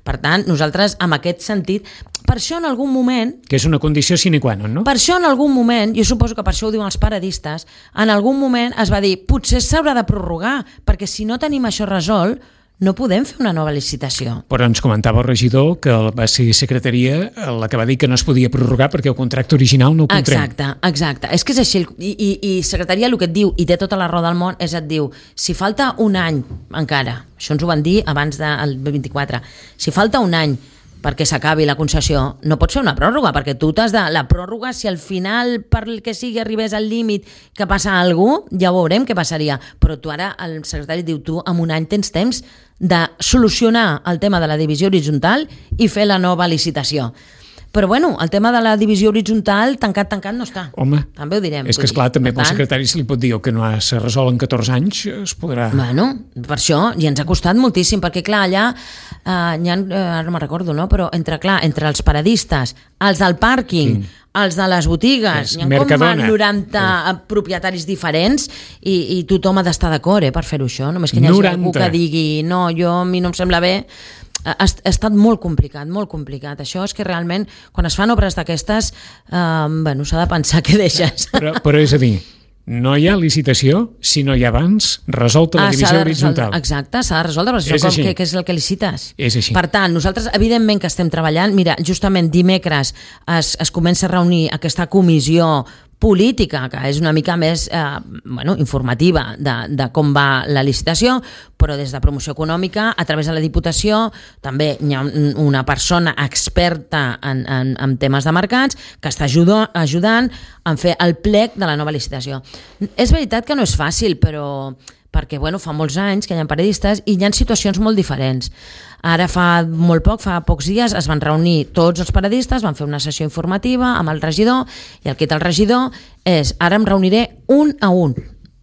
Per tant, nosaltres, en aquest sentit, per això en algun moment... Que és una condició sine qua non, no? Per això en algun moment, jo suposo que per això ho diuen els paradistes, en algun moment es va dir, potser s'haurà de prorrogar, perquè si no tenim això resolt, no podem fer una nova licitació. Però ens comentava el regidor que va ser secretaria la que va dir que no es podia prorrogar perquè el contracte original no ho contrem. Exacte, exacte. És que és així. I, i, i secretaria el que et diu, i té tota la raó del món, és et diu, si falta un any encara, això ens ho van dir abans del vint-i-quatre, si falta un any perquè s'acabi la concessió, no pots fer una pròrroga, perquè tu t'has de... La pròrroga, si al final, per el que sigui, arribés al límit que passa a algú, ja ho veurem què passaria. Però tu ara, el secretari diu, tu en un any tens temps de solucionar el tema de la divisió horitzontal i fer la nova licitació. Però bueno, el tema de la divisió horitzontal tancat, tancat no està. Home, també ho direm. és que esclar, també pel secretari se li pot dir el que no s'ha resolt en catorze anys es podrà... Bueno, per això, i ens ha costat moltíssim, perquè clar, allà, eh, ha, eh, ara no me'n recordo, no? Però entre, clar, entre els paradistes, els del pàrquing, sí. els de les botigues, hi ha com noranta sí. propietaris diferents i, i tothom ha d'estar d'acord eh, per fer-ho això, només que hi hagi noranta. Algú que digui no, jo a mi no em sembla bé. Ha, ha estat molt complicat, molt complicat. Això és que realment, quan es fan obres d'aquestes, eh, bueno, s'ha de pensar què deixes. Però, però és a dir, no hi ha licitació si no hi ha abans resolta la ah, divisió horitzontal. Exacte, s'ha de resoldre, però això com, què, què és el que licites? És així. Per tant, nosaltres evidentment que estem treballant, mira, justament dimecres es, es comença a reunir aquesta comissió política, que és una mica més eh, bueno, informativa de, de com va la licitació, però des de promoció econòmica, a través de la Diputació, també hi ha una persona experta en, en, en temes de mercats que està ajudo, ajudant a fer el plec de la nova licitació. És veritat que no és fàcil, però perquè bueno, fa molts anys que hi ha periodistes i hi ha situacions molt diferents. Ara fa molt poc, fa pocs dies, es van reunir tots els periodistes, van fer una sessió informativa amb el regidor, i el que té el regidor és, ara em reuniré un a un,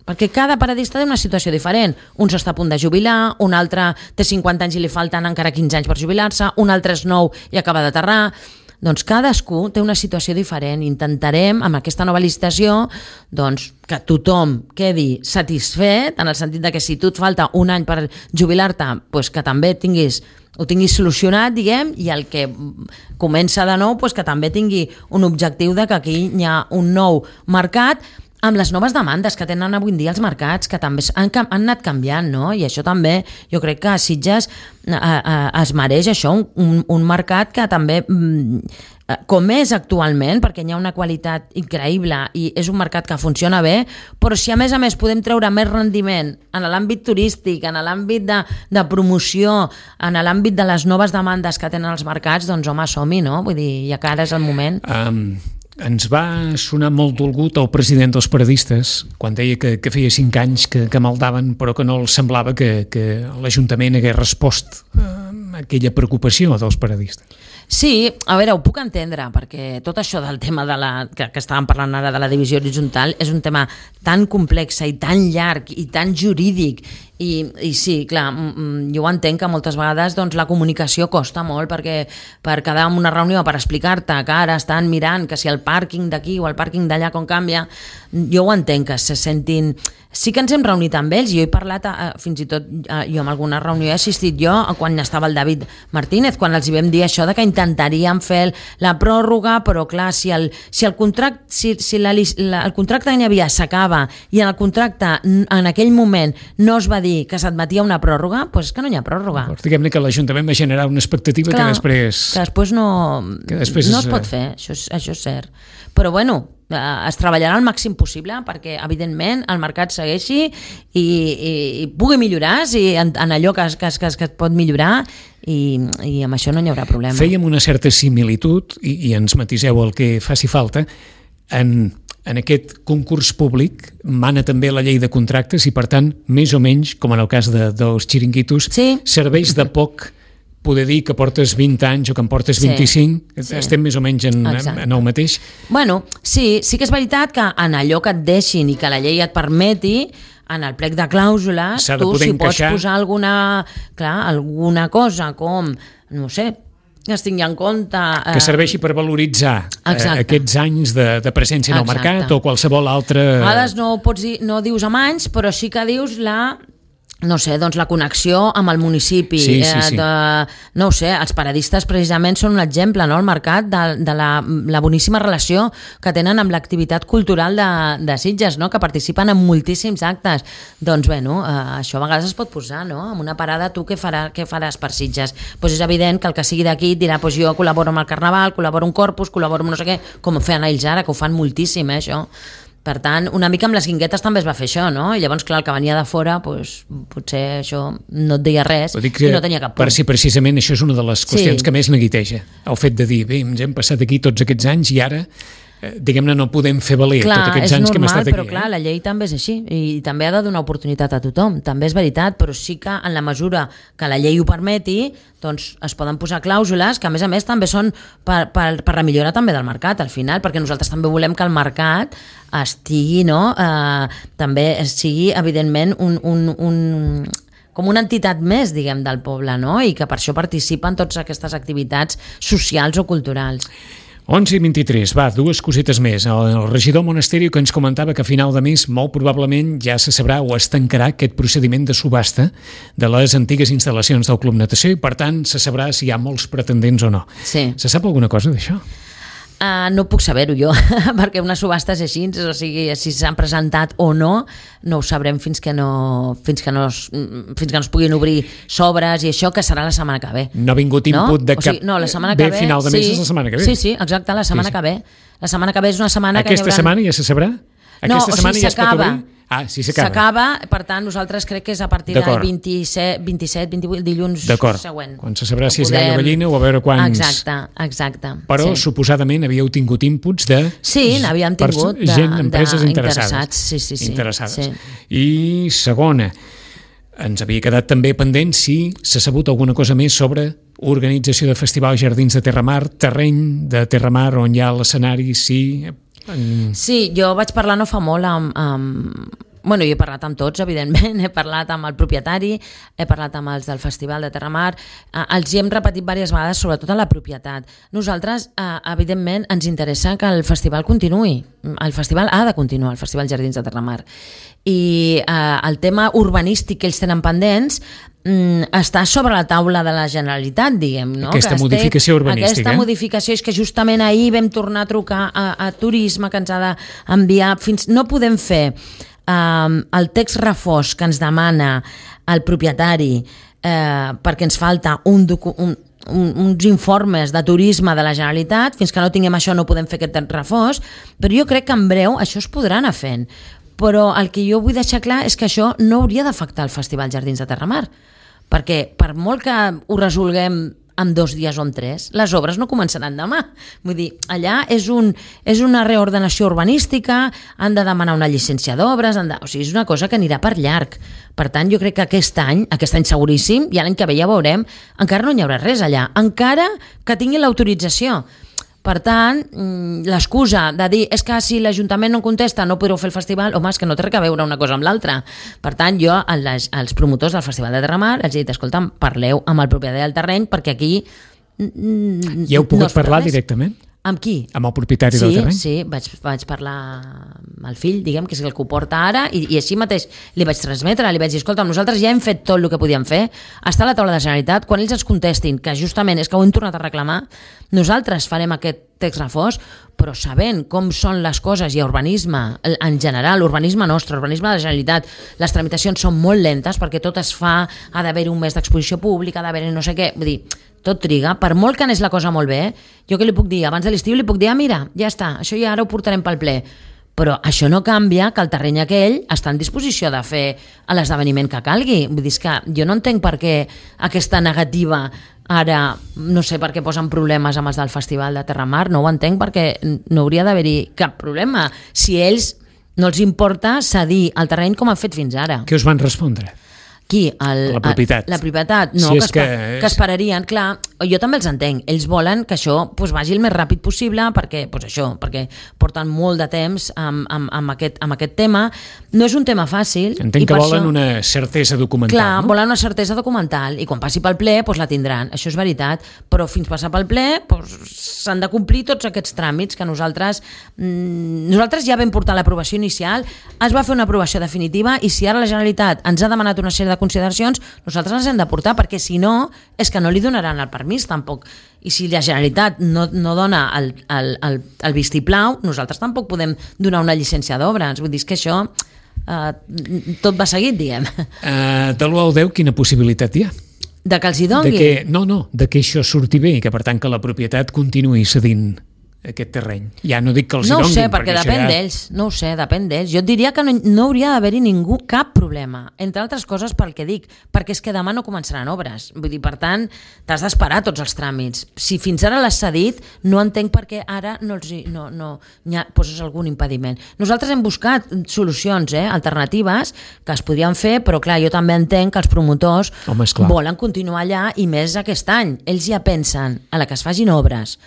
perquè cada periodista té una situació diferent. Un s'està a punt de jubilar, un altre té cinquanta anys i li falten encara quinze anys per jubilar-se, un altre és nou i acaba d'aterrar. Doncs cadascú té una situació diferent. Intentarem, amb aquesta nova licitació, doncs, que tothom quedi satisfet, en el sentit de que si tu et falta un any per jubilar-te, doncs que també tinguis, ho tinguis solucionat, diguem, i el que comença de nou, doncs que també tingui un objectiu de que aquí hi ha un nou mercat amb les noves demandes que tenen avui en dia els mercats, que també han, han anat canviant, no? I això també, jo crec que a Sitges eh, eh, es mereix això, un, un mercat que també, mm, com és actualment, perquè hi ha una qualitat increïble i és un mercat que funciona bé, però si a més a més podem treure més rendiment en l'àmbit turístic, en l'àmbit de, de promoció, en l'àmbit de les noves demandes que tenen els mercats, doncs home, som-hi, no? Vull dir, ja que ara és el moment. Um... Ens va sonar molt dolgut el president dels periodistes quan deia que, que feia cinc anys que, que maldaven, però que no els semblava que, que l'Ajuntament hagués respost a aquella preocupació dels periodistes. Sí, a veure, ho puc entendre, perquè tot això del tema de la, que, que estàvem parlant ara de la divisió horitzontal és un tema tan complex i tan llarg i tan jurídic i, i sí, clar, jo ho entenc que moltes vegades doncs, la comunicació costa molt perquè per quedar en una reunió per explicar-te que ara estan mirant que si el pàrquing d'aquí o el pàrquing d'allà com canvia, jo ho entenc que se sentin... Sí que ens hem reunit amb ells, jo he parlat, eh, fins i tot eh, jo en alguna reunió he assistit jo quan estava el David Martínez, quan els hi vam dir això de que intentaríem fer la pròrroga, però clar, si el, si el contracte si, si la, la, el contracte que hi havia s'acaba i en el contracte en aquell moment no es va dir dir que s'admetia una pròrroga, doncs és que no hi ha pròrroga. Diguem-ne que l'Ajuntament va generar una expectativa Clar, que després... que després no, que després no és... es pot fer, això és, això és cert. Però bueno, es treballarà al màxim possible perquè, evidentment, el mercat segueixi i, i, i pugui millorar si en, en allò que es, que, es, que es pot millorar i, i amb això no hi haurà problema. Fèiem una certa similitud, i, i ens matiseu el que faci falta, en, en aquest concurs públic mana també la llei de contractes i, per tant, més o menys, com en el cas de, dels xiringuitos, sí. serveix de poc poder dir que portes vint anys o que en portes vint-i-cinc, sí, sí. estem més o menys en, en, en el mateix. Bueno, sí, sí que és veritat que en allò que et deixin i que la llei et permeti, en el plec de clàusules, tu si pots posar alguna, clar, alguna cosa com, no sé, que es tingui en compte... Eh... Que serveixi per valoritzar eh, aquests anys de, de presència en el Exacte. mercat o qualsevol altre... A vegades no, pots dir, no dius amb anys, però sí que dius la... no sé, doncs la connexió amb el municipi, sí, sí, sí. Eh, de, no ho sé, els paradistes precisament són un exemple, no?, al mercat de, de la, la boníssima relació que tenen amb l'activitat cultural de, de Sitges, no?, que participen en moltíssims actes. Doncs bé, no, eh, això a vegades es pot posar, no?, amb una parada, tu què, farà, què faràs per Sitges? Doncs és evident que el que sigui d'aquí dirà, doncs jo col·laboro amb el Carnaval, col·laboro amb Corpus, col·laboro amb no sé què, com feien ells ara, que ho fan moltíssim, eh, això. Per tant, una mica amb les guinguetes també es va fer això, no? I llavors, clar, el que venia de fora, doncs, potser això no et deia res i no tenia cap punt. Per si precisament això és una de les qüestions sí. que més neguiteja, el fet de dir, bé, ens hem passat aquí tots aquests anys i ara, eh, diguem-ne, no podem fer valer clar, tots aquests anys normal, que hem estat aquí. Però clar, eh? La llei també és així i també ha de donar oportunitat a tothom, també és veritat, però sí que en la mesura que la llei ho permeti, doncs es poden posar clàusules que a més a més també són per, per, per la millora també del mercat al final, perquè nosaltres també volem que el mercat estigui, no? Eh, també sigui evidentment un, un, un, com una entitat més, diguem, del poble, no? I que per això participen totes aquestes activitats socials o culturals. onze i vint-i-tres, va, dues cosites més. El, el regidor Monasterio que ens comentava que a final de mes molt probablement ja se sabrà o es tancarà aquest procediment de subhasta de les antigues instal·lacions del Club Natació i per tant se sabrà si hi ha molts pretendents o no. Sí. Se sap alguna cosa d'això? Uh, no puc saber-ho jo, perquè una subhasta és així, o sigui, si s'han presentat o no, no ho sabrem fins que no, fins que no, es, fins que no es puguin obrir sobres i això, que serà la setmana que ve. No ha vingut input no? de cap... O sigui, no, la setmana que ve, ve... final de mes sí, és la setmana que ve. Sí, sí, exacte, la setmana sí, sí. que ve. La setmana que ve és una setmana Aquesta que hi haurà... setmana ja se sabrà? Aquesta no, o setmana sigui, ja es pot obrir? Ah, sí, s'acaba. S'acaba, per tant, nosaltres crec que és a partir del vint-i-set, vint-i-set, vint-i-vuit, dilluns següent. Quan se sabrà si és podem... gall o gallina o a veure quants... Exacte, exacte. Però sí. suposadament havíeu tingut inputs de... Sí, n'havíem tingut de, gent, empreses de, interessades. Interessats, sí, sí, sí. Interessades. Sí. I segona, ens havia quedat també pendent si s'ha sabut alguna cosa més sobre organització de Festival Jardins de Terramar, terreny de Terramar on hi ha l'escenari, sí... Sí, jo vaig parlar no fa molt amb, amb... Bueno, jo he parlat amb tots, evidentment, he parlat amb el propietari, he parlat amb els del Festival de Terramar, eh, els hi hem repetit diverses vegades, sobretot a la propietat. Nosaltres, eh, evidentment, ens interessa que el festival continuï. El festival ha de continuar, el Festival Jardins de Terramar. I eh, el tema urbanístic que ells tenen pendents mm, està sobre la taula de la Generalitat, diguem, no? Aquesta que modificació urbanística. Aquesta modificació és que justament ahir vam tornar a trucar a, a Turisme, que ens ha d'enviar fins... No podem fer um, el text refós que ens demana el propietari eh, perquè ens falta un document, un, uns informes de turisme de la Generalitat, fins que no tinguem això no podem fer aquest refós, però jo crec que en breu això es podrà anar fent. Però el que jo vull deixar clar és que això no hauria d'afectar el Festival Jardins de Terramar, perquè per molt que ho resolguem en dos dies o en tres, les obres no començaran demà. Vull dir, allà és, un, és una reordenació urbanística, han de demanar una llicència d'obres, de... o sigui, és una cosa que anirà per llarg. Per tant, jo crec que aquest any, aquest any seguríssim, i l'any que ve ja veurem, encara no hi haurà res allà, encara que tinguin l'autorització. Per tant, l'excusa de dir és que si l'Ajuntament no contesta no podreu fer el festival, home, és que no té res a veure una cosa amb l'altra. Per tant, jo als, als promotors del Festival de Terramar els he dit, escolta'm, parleu amb el propietari del terreny perquè aquí ja heu pogut no parlar res. Directament? Amb qui? Amb el propietari sí, del terreny? Sí, vaig, vaig parlar amb el fill, diguem, que és el que ho porta ara, i, i així mateix li vaig transmetre, li vaig dir, escolta, nosaltres ja hem fet tot el que podíem fer, està a la taula de la Generalitat, quan ells ens contestin que justament és que ho hem tornat a reclamar, nosaltres farem aquest text refós, però sabent com són les coses, i urbanisme en general, urbanisme nostre, urbanisme de la Generalitat, les tramitacions són molt lentes perquè tot es fa, ha d'haver un mes d'exposició pública, ha d'haver no sé què, vull dir, tot triga, per molt que anés la cosa molt bé, jo què li puc dir? Abans de l'estiu li puc dir, ah, mira, ja està, això ja ara ho portarem pel ple. Però això no canvia que el terreny aquell està en disposició de fer l'esdeveniment que calgui. Vull dir, que jo no entenc per què aquesta negativa ara, no sé per què posen problemes amb els del Festival de Terramar, no ho entenc perquè no hauria d'haver-hi cap problema. Si ells no els importa cedir el terreny com han fet fins ara. Què us van respondre? Qui? El, la propietat. La propietat, no, si que, que, és... que esperarien, clar, jo també els entenc, ells volen que això pues, vagi el més ràpid possible perquè, pues, això, perquè porten molt de temps amb, amb, amb, aquest, amb aquest tema, no és un tema fàcil. Entenc que volen això, una certesa documental, clar, no? volen una certesa documental i quan passi pel ple pues, la tindran, això és veritat, però fins passar pel ple pues, s'han de complir tots aquests tràmits que nosaltres mmm, nosaltres ja vam portar l'aprovació inicial, es va fer una aprovació definitiva i si ara la Generalitat ens ha demanat una sèrie de consideracions, nosaltres les hem de portar perquè si no, és que no li donaran el permís tampoc, i si la Generalitat no, no dona el, el, el, el vistiplau, nosaltres tampoc podem donar una llicència d'obres, vull dir que això eh, tot va seguit, diguem. Uh, de l'u al deu, quina possibilitat hi ha? De que els hi dongui? De que, no, no, de que això surti bé i que per tant que la propietat continuï cedint aquest terreny. Ja no dic que els no hi donguin. No ho sé, perquè, perquè depèn ja... d'ells. No ho sé, depèn d'ells. Jo et diria que no, no hauria d'haver-hi ningú cap problema. Entre altres coses pel que dic, perquè és que demà no començaran obres. Vull dir, per tant, t'has d'esperar tots els tràmits. Si fins ara l'has cedit, no entenc per què ara no, els hi, no, no ha, poses algun impediment. Nosaltres hem buscat solucions, eh, alternatives, que es podrien fer, però clar, jo també entenc que els promotors Home, volen continuar allà i més aquest any. Ells ja pensen a la que es facin obres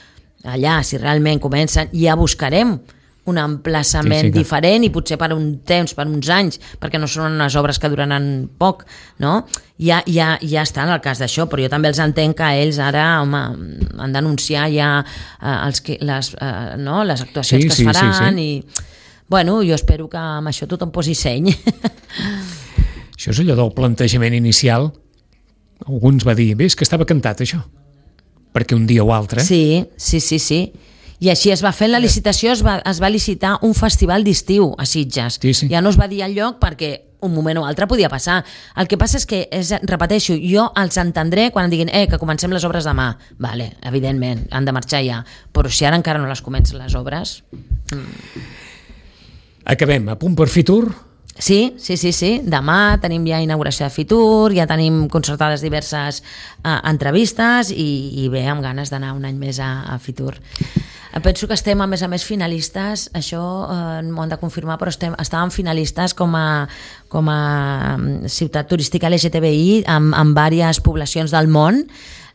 allà, si realment comencen, ja buscarem un emplaçament sí, sí, diferent i potser per un temps, per uns anys, perquè no són unes obres que duraran poc, no? Ja, ja, ja està en el cas d'això, però jo també els entenc que ells ara, home, han d'anunciar ja eh, els que, les, eh, no? les actuacions sí, que es sí, faran sí, sí. i, bueno, jo espero que amb això tothom posi seny. Això és allò del plantejament inicial. Alguns va dir, bé, és que estava cantat això. Perquè un dia o altre... Sí, sí, sí, sí. I així es va fer la licitació, es va, es va licitar un festival d'estiu a Sitges. Sí, sí. Ja no es va dir al lloc perquè un moment o altre podia passar. El que passa és que, és, repeteixo, jo els entendré quan em diguin eh, que comencem les obres demà. Vale, evidentment, han de marxar ja. Però si ara encara no les comencen les obres... Mm. Acabem. A punt per Fitur? Sí, sí, sí, sí. Demà tenim ja inauguració de Fitur, ja tenim concertades diverses uh, entrevistes i, i bé, amb ganes d'anar un any més a, a Fitur. Penso que estem, a més a més, finalistes, això eh, m'ho han de confirmar, però estem, estàvem finalistes com a, com a ciutat turística L G T B I amb, amb diverses poblacions del món,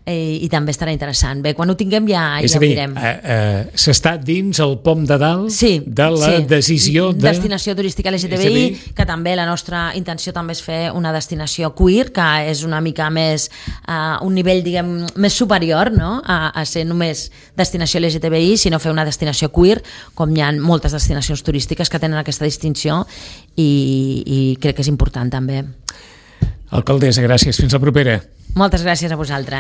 eh, i també estarà interessant. Bé, quan ho tinguem ja, és ja a dir, ho direm. Eh, eh, s'està dins el pom de dalt sí, de la sí. decisió de... Destinació turística L G T B I, que també la nostra intenció també és fer una destinació queer, que és una mica més, uh, un nivell, diguem, més superior, no?, a, a ser només destinació L G T B I, sinó fer una destinació queer, com hi ha moltes destinacions turístiques que tenen aquesta distinció, i, i crec que és important també. Alcaldessa, gràcies. Fins la propera. Moltes gràcies a vosaltres.